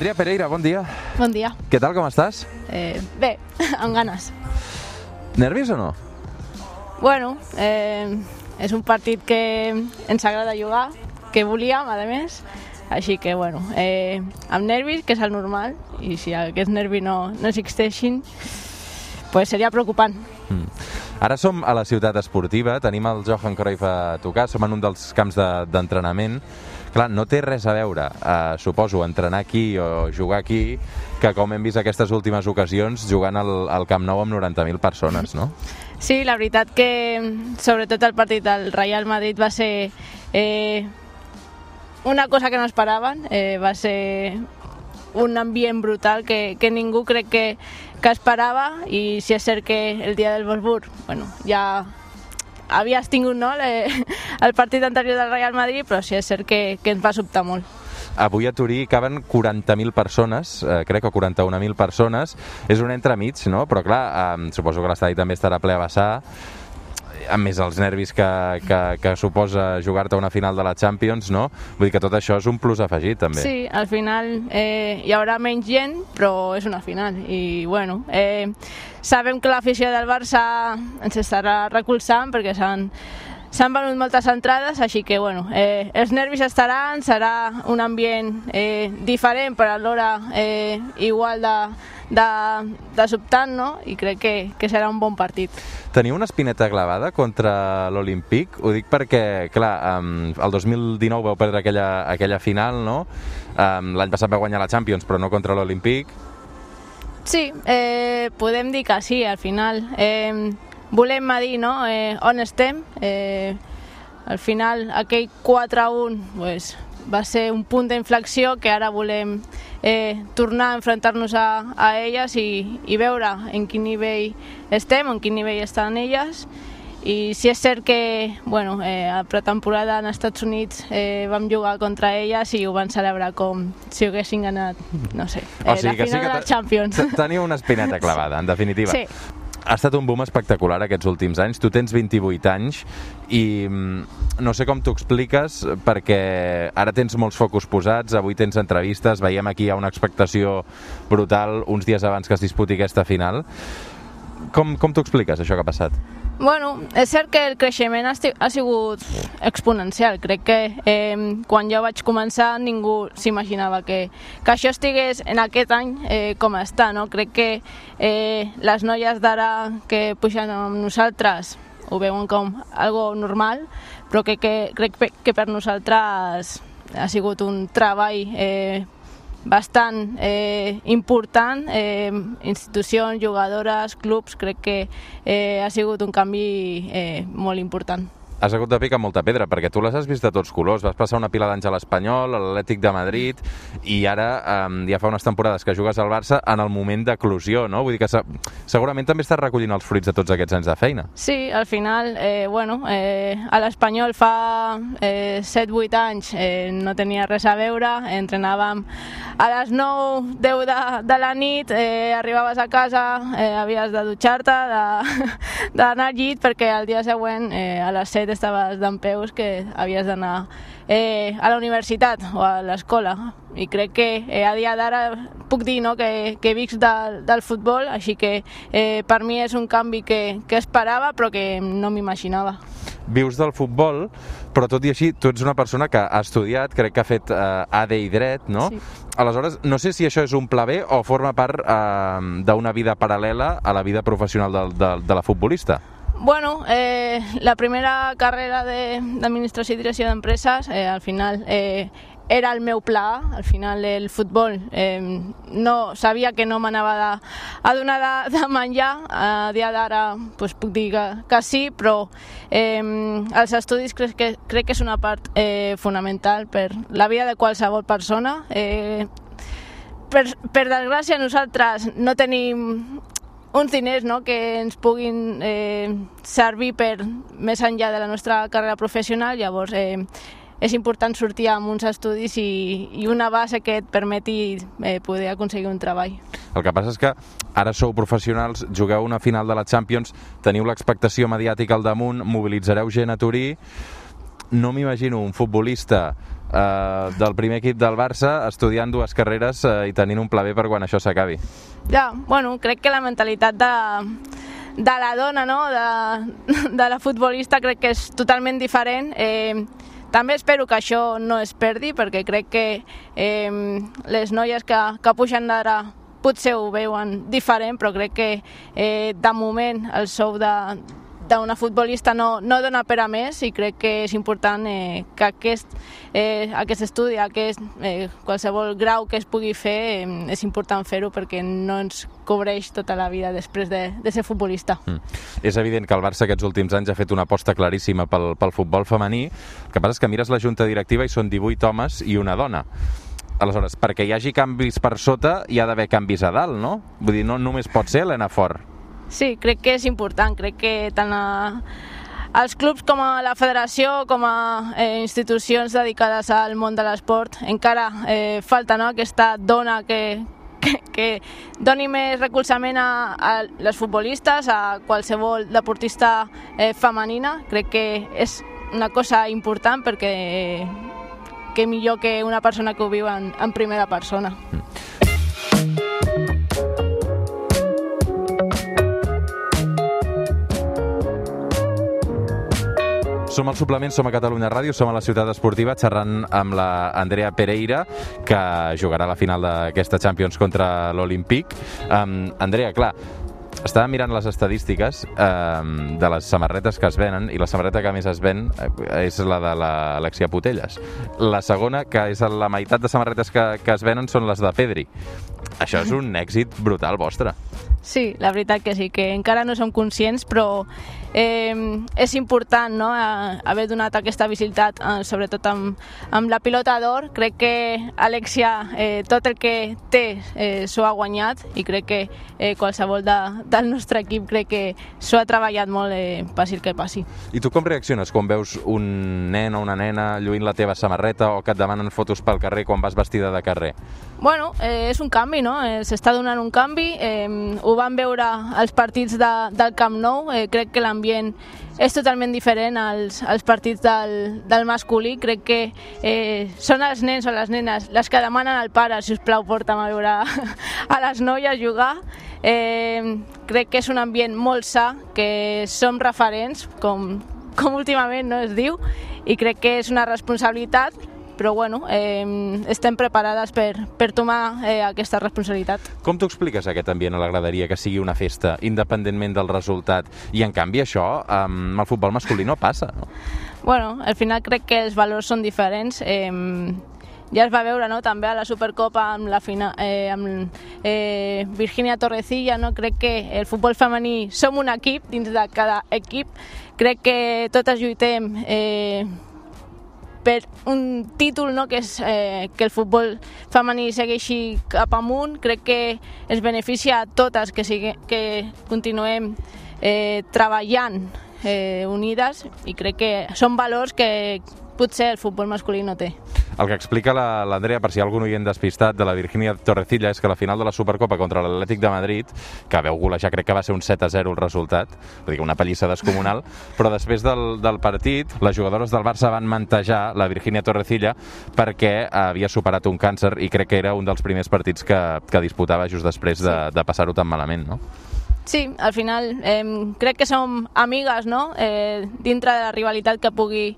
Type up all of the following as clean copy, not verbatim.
Andrea Pereira, bon dia. Bon dia. Què tal, com estàs? Bé, amb ganes. Nervis o no? Bueno, és un partit que ens agrada jugar, que volíem, a més, així que, bueno, amb nervis, que és el normal, i si aquests nervis no existeixin, pues seria preocupant. Ara som a la ciutat esportiva, tenim el Johan Cruyff a tocar, som en un dels camps d'entrenament. Clar, no té res a veure, suposo, entrenar aquí o jugar aquí, que com hem vist aquestes últimes ocasions, jugant al Camp Nou amb 90.000 persones, no? Sí, la veritat que, sobretot el partit del Real Madrid va ser una cosa que no esperaven, va ser un ambient brutal que ningú crec que esperava, i si és cert que el dia del Wolfsburg, bueno, ja havies tingut, no, el partit anterior del Real Madrid, però sí és cert que ens va sobtar molt. Avui a Turí caben 40.000 persones, crec, o 41.000 persones. És un entremig, no? Però clar, suposo que l'estadi també estarà ple a vessar, a més els nervis que suposa jugar-te una final de la Champions, no? Vull dir que tot això és un plus afegit, també. Sí, al final hi haurà menys gent, però és una final. I, bueno, sabem que l'afició del Barça ens estarà recolzant, perquè s'han venut moltes entrades, així que, bueno, els nervis estaran, serà un ambient diferent, però alhora igual de sobtant, no? I crec que serà un bon partit. Teniu una espineta clavada contra l'Olímpic? Ho dic perquè, clar, el 2019 vau perdre aquella final, no? L'any passat vau guanyar la Champions, però no contra l'Olímpic. Sí, podem dir que sí, al final. Volem dir, no?, on estem. Al final, aquell 4-1 pues, va ser un punt d'inflexió que ara volem tornar a enfrontar-nos a elles i veure en quin nivell estem, en quin nivell estan elles. I si és cert que, bueno, a pretemporada als Estats Units vam jugar contra elles i ho van celebrar com si haguessin ganat, no sé, la final de la Champions. Teniu una espineta clavada, en definitiva. Sí. Ha estat un boom espectacular aquests últims anys. Tu tens 28 anys i no sé com t'ho expliques, perquè ara tens molts focus posats, avui tens entrevistes, veiem aquí hi ha una expectació brutal uns dies abans que es disputi aquesta final. Com t'ho expliques, això que ha passat? Bueno, és cert que el creixement ha sigut exponencial. Crec que quan jo vaig començar ningú s'imaginava que això estigués en aquest any com està, no? Crec que les noies d'ara que pugen amb nosaltres ho veuen com algo normal, però crec que per nosaltres ha sigut un treball bastant important, institucions, jugadores, clubs, crec que ha sigut un canvi molt important. Has hagut de picar molta pedra, perquè tu les has vist de tots colors. Vas passar una pila d'anys a l'Espanyol, a l'Atlètic de Madrid, i ara ja fa unes temporades que jugues al Barça en el moment d'eclosió, no? Vull dir que segurament també estàs recollint els fruits de tots aquests anys de feina. Sí, al final, bueno, a l'Espanyol fa 7-8 anys no tenia res a veure, entrenàvem a les 9-10 de la nit, arribaves a casa, havies de dutxar-te, d'anar al llit, perquè al dia següent a les 7 estaves dempeus que havies d'anar a la universitat o a l'escola. I crec que a dia d'ara puc dir, no, que visc del futbol, així que per mi és un canvi que esperava però que no m'imaginava. Vius del futbol, però tot i així tu ets una persona que ha estudiat, crec que ha fet AD i dret, no? Sí. Aleshores, no sé si això és un pla B o forma part d'una vida paral·lela a la vida professional de la futbolista. Bueno, la primera carrera d'Administració i Direcció d'Empreses, al final era el meu pla. Al final el futbol no sabia que no m'anava a donar de menjar. A dia d'ara pues, puc dir que sí, però els estudis crec que és una part fonamental per la vida de qualsevol persona. Per desgràcia nosaltres no tenim uns diners, no, que ens puguin servir per més enllà de la nostra carrera professional. Llavors és important sortir amb uns estudis i una base que et permeti poder aconseguir un treball. El que passa és que ara sou professionals, jugueu una final de la Champions, teniu l'expectació mediàtica al damunt, mobilitzareu gent a Turí. No m'imagino un futbolista del primer equip del Barça, estudiant 2 carreres i tenint un pla B per quan això s'acabi. Ja, bueno, crec que la mentalitat de la dona, no? de la futbolista, crec que és totalment diferent. També espero que això no es perdi, perquè crec que les noies que pugen d'ara potser ho veuen diferent, però crec que de moment el sou d'una futbolista no dona per a més, i crec que és important que aquest estudi, qualsevol grau que es pugui fer, és important fer-ho perquè no ens cobreix tota la vida després de ser futbolista. És evident que el Barça aquests últims anys ha fet una aposta claríssima pel futbol femení. El que passa és que mires la junta directiva i són 18 homes i una dona. Aleshores, perquè hi hagi canvis per sota hi ha d'haver canvis a dalt, no? Vull dir, no només pot ser Helena Fort. Sí, crec que és important. Crec que tant els clubs com a la federació, com a institucions dedicades al món de l'esport, encara falta, no?, aquesta dona que doni més recolzament a les futbolistes, a qualsevol deportista femenina. Crec que és una cosa important, perquè que millor que una persona que ho viu en primera persona. Som al Suplement, som a Catalunya Ràdio, som a la Ciutat Esportiva xerrant amb la Andrea Pereira, que jugarà a la final d'aquesta Champions contra l'Olímpic. Andrea, clar, estava mirant les estadístiques de les samarretes que es venen, i la samarreta que més es ven és la de l'Alexia Putellas. La segona, que és la meitat de samarretes que es venen, són les de Pedri. Això és un èxit brutal vostre. Sí, la veritat que sí, que encara no som conscients, però és important, no?, haver donat aquesta visibilitat, sobretot amb la pilota d'or. Crec que Alexia tot el que té s'ho ha guanyat, i crec que qualsevol del nostre equip crec que s'ho ha treballat molt, passi el que passi. I tu com reacciones quan veus un nen o una nena lluint la teva samarreta o que et demanen fotos pel carrer quan vas vestida de carrer? Bueno, és un canvi, no? S'està donant un canvi. Ho vam veure als partits del Camp Nou. Crec que l'ambient és totalment diferent als partits del masculí. Crec que són els nens o les nenes les que demanen al pare, si us plau, porta'm a veure a les noies jugar. Crec que és un ambient molt sa, que som referents, com últimament no es diu, i crec que és una responsabilitat, però bueno, estem preparades per tomar aquesta responsabilitat. Com t'ho expliques, aquest ambient a la graderia, que sigui una festa, independentment del resultat? I en canvi això amb el futbol masculí no passa, no? Bueno, al final crec que els valors són diferents. Ja es va veure, no?, també a la Supercopa amb Virginia Torrecilla, no? Crec que el futbol femení som un equip dins de cada equip. Crec que totes lluitem per un títol, no?, que és que el futbol femení segueixi cap amunt. Crec que es beneficia a totes que continuem treballant unides, i crec que són valors que potser el futbol masculí no té. El que explica l'Andrea, per si hi ha algun oient despistat, de la Virginia Torrecilla, és que la final de la Supercopa contra l'Atlètic de Madrid, que veu golejar, crec que va ser un 7-0 el resultat, vull dir, una pallissa descomunal, però després del partit, les jugadores del Barça van mantejar la Virginia Torrecilla perquè havia superat un càncer, i crec que era un dels primers partits que disputava just després de passar-ho tan malament, no? Sí, al final crec que som amigues, no?, dintre de la rivalitat que pugui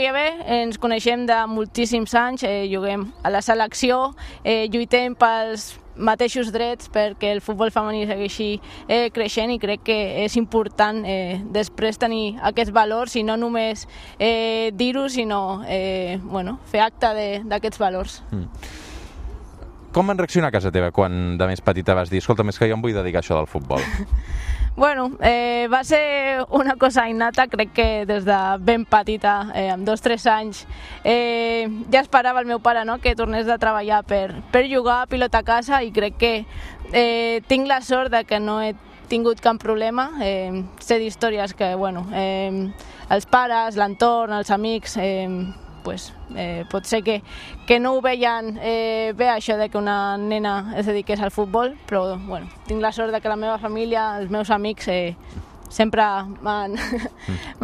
haver. Ens coneixem de moltíssims anys, juguem a la selecció, lluitem pels mateixos drets perquè el futbol femení segueixi creixent, i crec que és important després tenir aquests valors, i no només dir-ho, sinó fer acte d'aquests valors. Com van reaccionar a casa teva quan de més petita vas dir escolta, és que jo em vull dedicar a això del futbol? Bueno, va ser una cosa innata. Crec que des de ben petita, amb 2-3 anys, ja esperava el meu pare, no?, que tornés de treballar per jugar a pilota a casa, i crec que tinc la sort de que no he tingut cap problema. Sé d'històries que, bueno, els pares, l'entorn, els amics, pot ser que no ho veien bé, això de que una nena es dediqués al futbol, però bueno, tinc la sort de que la meva família, els meus amics, sempre m'han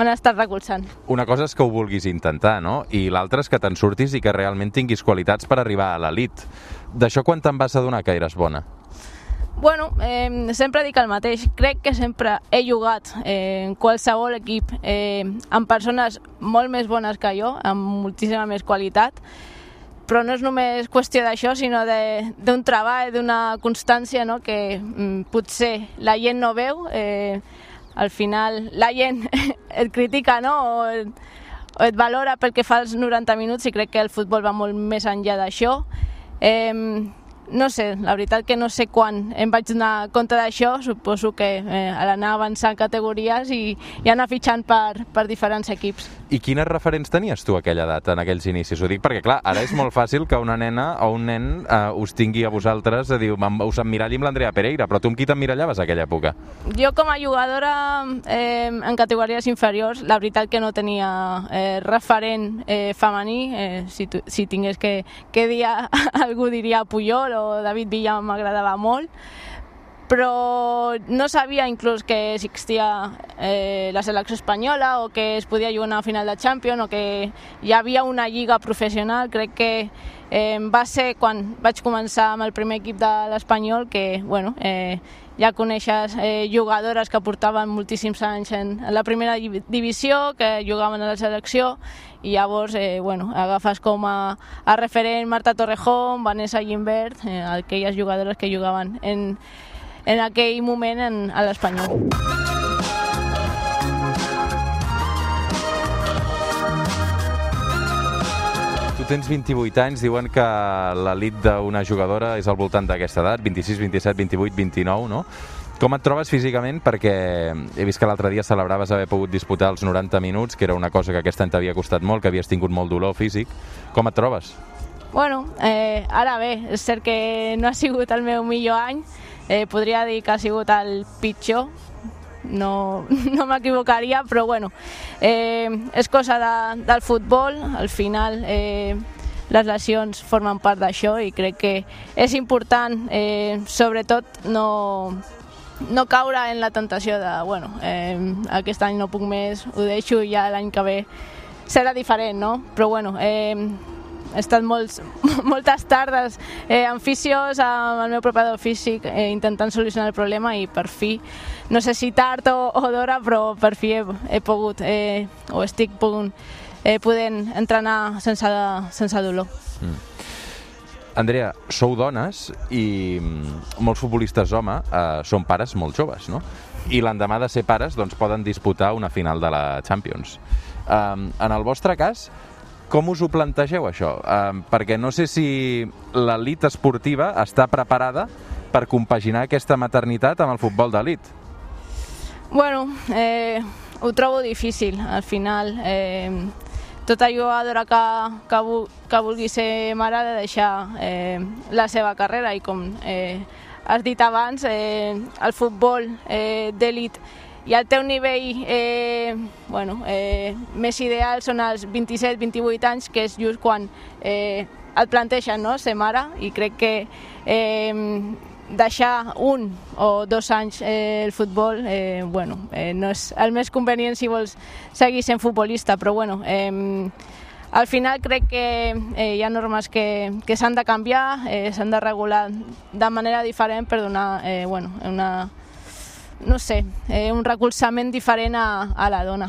estat recolzant. Una cosa és que ho vulguis intentar, no? I l'altra és que te'n surtis i que realment tinguis qualitats per arribar a l'elit. D'això quan te'n vas adonar que eres bona? Bueno, sempre dic el mateix. Crec que sempre he jugat en qualsevol equip amb persones molt més bones que jo, amb moltíssima més qualitat, però no és només qüestió d'això, sinó d'un treball, d'una constància, no? Que potser la gent no veu. Al final la gent et critica, no? O et valora pel que fa als 90 minuts, i crec que el futbol va molt més enllà d'això. No sé, la veritat que no sé quan em vaig donar compte d'això. Suposo que a l'anar avançant categories i anar fitxant per diferents equips. I quines referents tenies tu a aquella edat, en aquells inicis? Ho dic perquè, clar, ara és molt fàcil que una nena o un nen us tingui a vosaltres, us emmiralli amb l'Andrea Pereira, però tu amb qui t'emmirallaves a aquella època? Jo com a jugadora en categories inferiors, la veritat que no tenia referent femení. Si tingués que dir algú diria Puyol, o David Villa m'agradava molt, però no sabia inclús que existia la selecció espanyola, o que es podia jugar una final de Champions, o que hi havia una lliga professional. Crec que va ser quan vaig començar amb el primer equip de l'Espanyol que, bueno, ja coneixes jugadores que portaven moltíssims anys en la primera divisió, que jugaven a la selecció, i llavors agafes com a referent Marta Torrejón, Vanessa Gimbert, aquelles jugadores que jugaven en aquell moment a l'Espanyol. Tu tens 28 anys, diuen que l'elit d'una jugadora és al voltant d'aquesta edat, 26, 27, 28, 29, no? Com et trobes físicament? Perquè he vist que l'altre dia celebraves haver pogut disputar els 90 minuts, que era una cosa que aquest any t'havia costat molt, que havies tingut molt dolor físic. Com et trobes? Bueno, ara bé, és cert que no ha sigut el meu millor any. Podria dir que ha sigut el pitjor. No m'equivocaria, però bueno, és cosa del futbol. Al final les lesions formen part d'això, i crec que és important, sobretot, no caure en la tentació de, bueno, aquest any no puc més, ho deixo, i ja l'any que ve serà diferent, no? Però bueno, he estat moltes tardes amb fisios, amb el meu preparador físic, intentant solucionar el problema, i per fi, no sé si tard o d'hora, però per fi he pogut, o estic podent entrenar sense dolor. Andrea, sou dones i molts futbolistes home són pares molt joves, no? I l'endemà de ser pares doncs, poden disputar una final de la Champions. En el vostre cas, com us ho plantegeu, això? Perquè no sé si l'elit esportiva està preparada per compaginar aquesta maternitat amb el futbol d'elit. Bueno, ho trobo difícil. Al final, tota jugadora que vulgui ser mare ha de deixar la seva carrera, i com has dit abans, el futbol d'elit i el teu nivell més ideal són els 27-28 anys, que és just quan et planteixen, no?, ser mare, i crec que deixar 1 o 2 anys el futbol no és el més convenient si vols seguir sent futbolista, però bueno, al final crec que hi ha normes que s'han de canviar, s'han de regular de manera diferent per donar un recolzament diferent a la dona.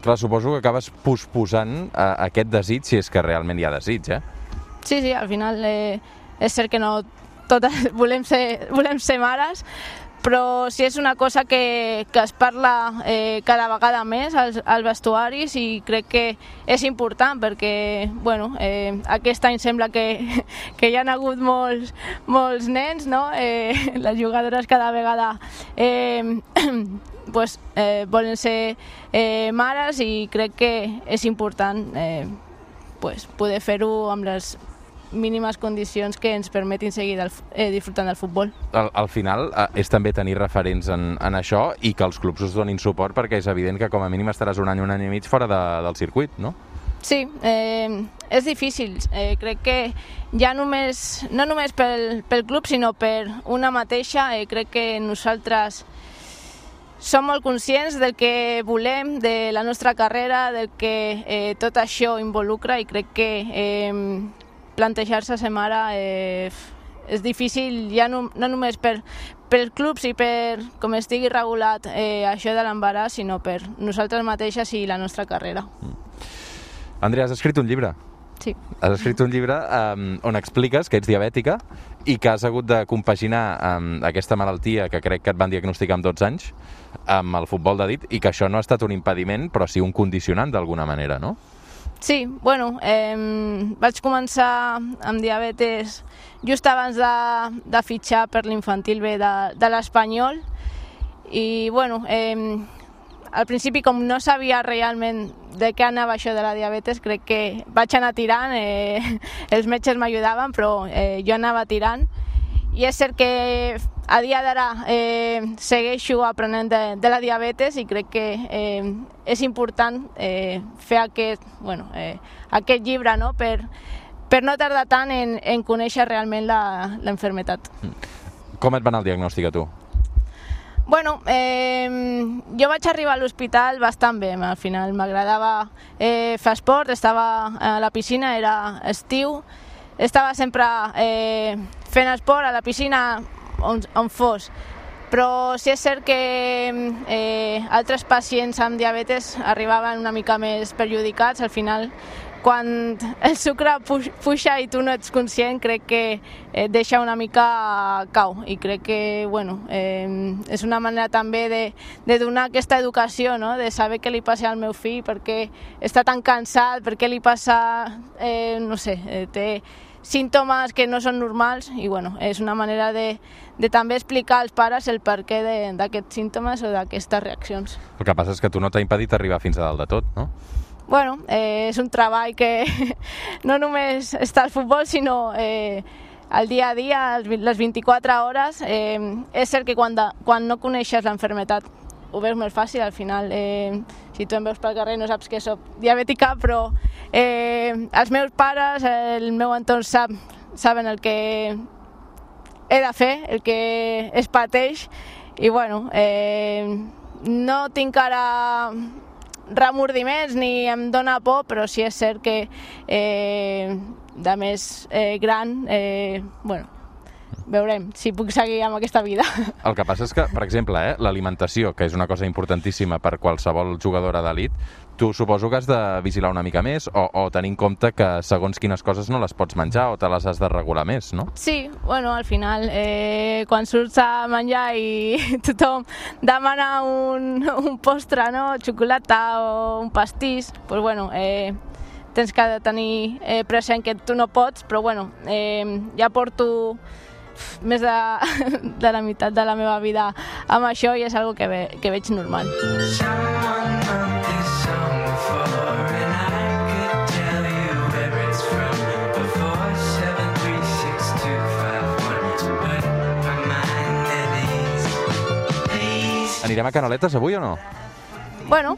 Clar, suposo que acabes posposant aquest desig, si és que realment hi ha desig, eh? Sí, al final és cert que no totes volem ser mares, però sí és una cosa que es parla cada vegada més als vestuaris, i crec que és important perquè aquest any sembla que hi ha hagut molts nens, no? Les jugadores cada vegada volen ser mares, i crec que és important poder fer-ho amb les mínimes condicions que ens permetin seguir disfrutant del futbol. Al final és també tenir referents en això, i que els clubs us donin suport, perquè és evident que com a mínim estaràs un any i mig fora del circuit, no? Sí, és difícil. Crec que ja no només pel club, sinó per una mateixa. Crec que nosaltres som molt conscients del que volem, de la nostra carrera, del que tot això involucra, i crec que plantejar-se ser mare és difícil ja no només pel club i per com estigui regulat això de l'embaràs, sinó per nosaltres mateixes i la nostra carrera. Andrea, has escrit un llibre. Sí. Has escrit un llibre on expliques que ets diabètica i que has hagut de compaginar aquesta malaltia que crec que et van diagnosticar amb 12 anys amb el futbol de dit, i que això no ha estat un impediment, però sí un condicionant d'alguna manera, no? Sí, bueno, vaig començar amb diabetes just abans de fitxar per l'infantil B de l'Espanyol, i bueno, al principi, com no sabia realment de què anava això de la diabetes, crec que vaig anar tirant, els metges m'ajudaven, però jo anava tirant. I és cert que a dia d'ara segueixo aprenent de la diabetes, i crec que és important fer aquest llibre, no? per no tardar tant en conèixer realment l'enfermetat. Com et va anar el diagnòstic a tu? Bueno, jo vaig arribar a l'hospital bastant bé, al final m'agradava fer esport, estava a la piscina, era estiu, estava sempre fent esport a la piscina on fos, però sí és cert que altres pacients amb diabetes arribaven una mica més perjudicats. Al final, quan el sucre puja i tu no ets conscient, crec que et deixa una mica cau, i crec que és una manera també de donar aquesta educació, no? De saber què li passa al meu fill, perquè està tan cansat, perquè li passa, no sé, té símptomes que no són normals, i és una manera de també explicar als pares el perquè d'aquests símptomes o d'aquestes reaccions. El que passa és que tu no t'ha impedit arribar fins a dalt de tot, no? Bueno, és un treball que no només està al futbol, sinó el dia a dia, les 24 hores. És cert que quan no coneixes l'enfermetat ho veus més fàcil. Al final, si tu em veus pel carrer no saps que soc diabètica, però els meus pares, el meu entorn saben el que he de fer, el que es pateix, i no tinc ara remordiments ni em dóna por, però sí és cert que de més gran, veurem si puc seguir amb aquesta vida. El que passa és que, per exemple, l'alimentació, que és una cosa importantíssima per qualsevol jugadora d'elit, tu suposo que has de vigilar una mica més o tenir en compte que segons quines coses no les pots menjar o te les has de regular més, no? Sí, al final, quan surts a menjar i tothom demana un postre, no? Xocolata o un pastís, tens que tenir present que tu no pots, però ja porto més de la meitat de la meva vida amb això, i és algo que veig normal. Anirem a Canaletes avui o no? Bueno,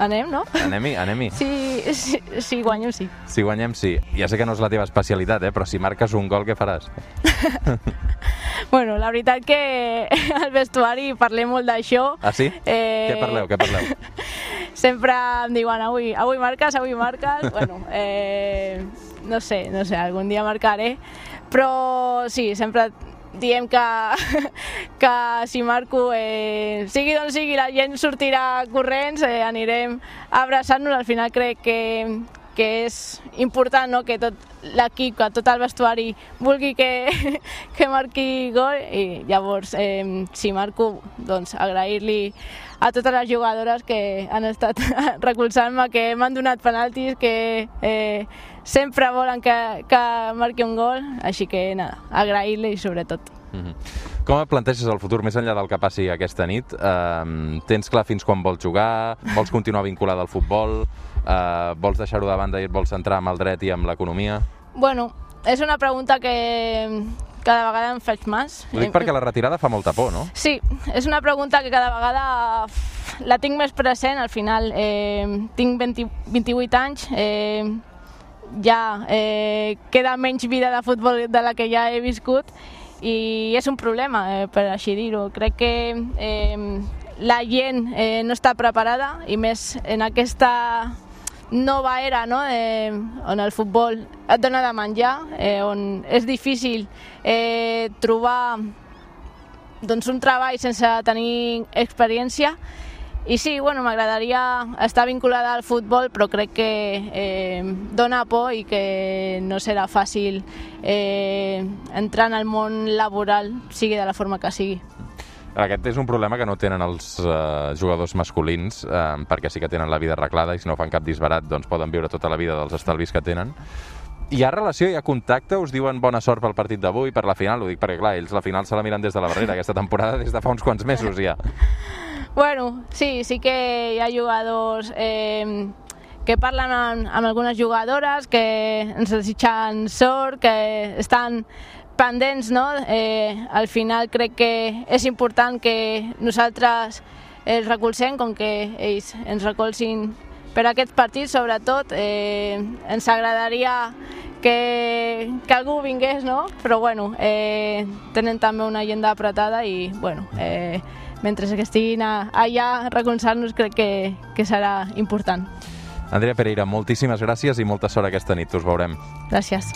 anem, no? Anem-hi. Si guanyem, sí. Si guanyem, sí. Ja sé que no és la teva especialitat, però si marques un gol, què faràs? La veritat que al vestuari parlem molt d'això. Ah, sí? Què parleu? Sempre em diuen, avui marques. No sé, algun dia marcaré. Però sí, sempre diem que si marco, sigui d'on sigui, la gent sortirà corrents, anirem a abraçar-nos. Al final crec que és important, no?, que tot l'equip, que tot el vestuari vulgui que marqui gol, i llavors, si marco, doncs agrair-li a totes les jugadores que han estat recolzant-me, que m'han donat penaltis, que sempre volen que marqui un gol, així que agrair-li sobretot. Com et planteges el futur, més enllà del que passi aquesta nit? Tens clar fins quan vols jugar? Vols continuar vinculada al futbol? Vols deixar-ho de banda i et vols centrar amb el dret i amb l'economia? És una pregunta que cada vegada em faig més. Ho dic perquè la retirada fa molta por, no? Sí, és una pregunta que cada vegada la tinc més present. Al final tinc 28 anys, ja queda menys vida de futbol de la que ja he viscut, i és un problema, per així dir-ho. Crec que la gent no està preparada, i més en aquesta nova era, no? On el futbol et dona de menjar, on és difícil trobar un treball sense tenir experiència. I sí, m'agradaria estar vinculada al futbol, però crec que dona por i que no serà fàcil entrar en el món laboral, sigui de la forma que sigui. Aquest és un problema que no tenen els jugadors masculins, perquè sí que tenen la vida arreglada i si no fan cap disbarat doncs poden viure tota la vida dels estalvis que tenen. Hi ha relació, hi ha contacte? Us diuen bona sort pel partit d'avui, per la final? Ho dic perquè, clar, ells la final se la miren des de la barrera, aquesta temporada des de fa uns quants mesos ja. Sí que hi ha jugadors que parlen amb algunes jugadores, que ens desitgen sort, que estan pendents, no? Al final crec que és important que nosaltres els recolzem, com que ells ens recolzin per aquest partit, sobretot. Ens agradaria que algú vingués, no? Però tenen també una agenda apretada i mentre que estiguin allà recolzant-nos crec que serà important. Andrea Pereira, moltíssimes gràcies i molta sort aquesta nit, us veurem. Gràcies.